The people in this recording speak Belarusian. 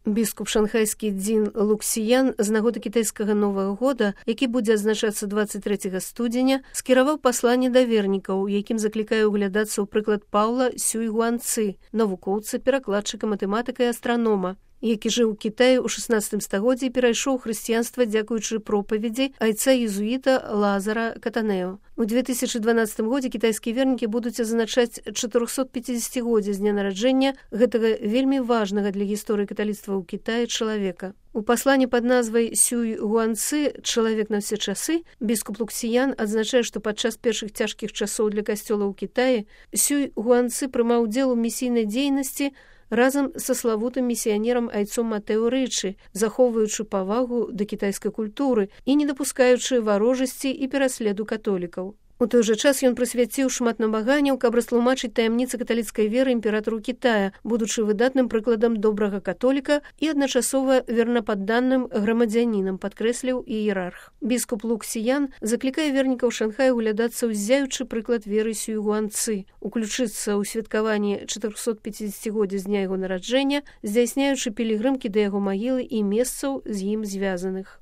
Біскуп шанхайскі Дзін Луксіян з нагоды кітайскага Новага года, які будзе адзначацца 23 студзеня, скіраваў пасланне да вернікаў, якім заклікае углядацца ў прыклад Паўла Сюй Гуанцы, навукоўца, перакладчыка, матэматыка і астранома, які жыў у Кітаі ў 16 стагоддзі і перайшоў хрысціянства дзякуючы пропаведзі айца езуіта Лазара Катанео. У 2012 годзе кітайскія вернікі будуць адзначаць 450-годдзе з дня нараджэння гэтага вельмі важнага для гісторыі каталіцтва ў Кітаі чалавека. У пасланні пад назвай Сюй Гуанцы «Чалавек на ўсе часы» біскуп Луксіян адзначае, што падчас першых цяжкіх часоў для касцёла ў Кітаі Сюй Гуанцы прымаў удзел у місійнай дзейнасці разам са славутым місіянерам айцом Матэо Рычы, захоўваючы павагу да кітайскай культуры і не дапускаючы варожасці і пераследу католікаў. У той жа час ён прысвяціў шмат намаганняў, каб растлумачыць таямніцы каталіцкай веры імператару Кітая, будучы выдатным прыкладам добрага католіка і адначасова вернападданным грамадзянінам, падкрэсліў іерарх. Біскуп Луксіян заклікае вернікаў Шанхаю углядацца, узяючы прыклад веры Сюй Гуанцы, уключыцца ў святкаванне 450-годдзя з дня яго нараджэння, здзяйсняючы пілігрымкі да яго магілы і месцаў з ім звязаных.